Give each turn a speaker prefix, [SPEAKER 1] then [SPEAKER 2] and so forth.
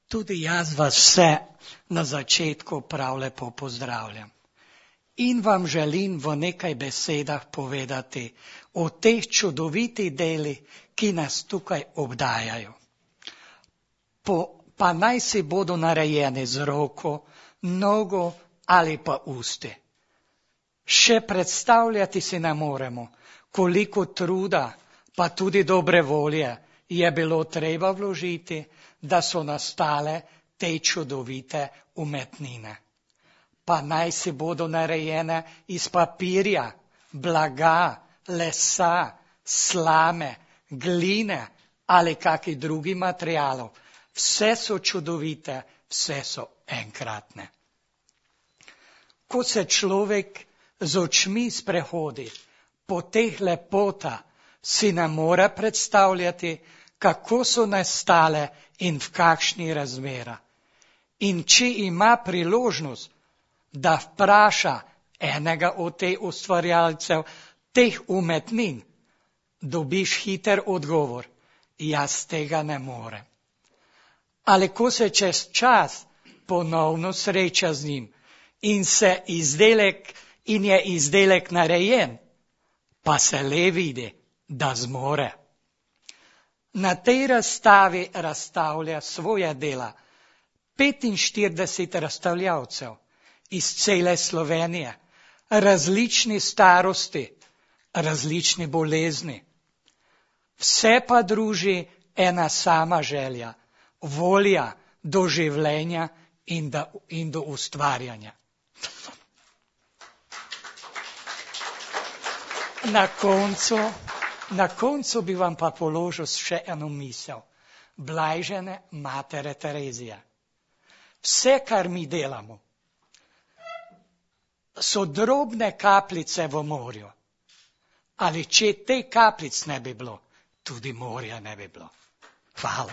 [SPEAKER 1] Tudi jaz vas vse na začetku prav lepo pozdravljam. In vam želim v nekaj besedah povedati o teh čudovitih delih, ki nas tukaj obdajajo. Pa naj si bodo narejeni z roko, nogo ali pa usti. Še predstavljati si ne moremo, koliko truda, pa tudi dobre volje je bilo treba vložiti, da so nastale te čudovite umetnine. Pa naj si bodo narejene iz papirja, blaga, lesa, slame, gline ali kakih drugih materialov. Vse so čudovite, vse so enkratne. Ko se človek z očmi sprehodi po teh lepotah, si ne more predstavljati, kako so nastale in v kakšni razmerah. In če ima priložnost, da vpraša enega od teh ustvarjalcev, teh umetnin, dobiš hiter odgovor, jaz tega ne morem. Ali ko se čez čas ponovno sreča z njim in je izdelek narejen, pa se le vidi, da zmore. Na tej razstavi razstavlja svoja dela 45 razstavljavcev iz cele Slovenije, različni starosti, različni bolezni. Vse pa druži ena sama želja, volja do življenja in do ustvarjanja. Na koncu bi vam pa položil še eno misel. Blajžene matere Terezije. Vse, kar mi delamo, so drobne kapljice v morju. Ali če te kapljic ne bi bilo, tudi morja ne bi bilo. Hvala.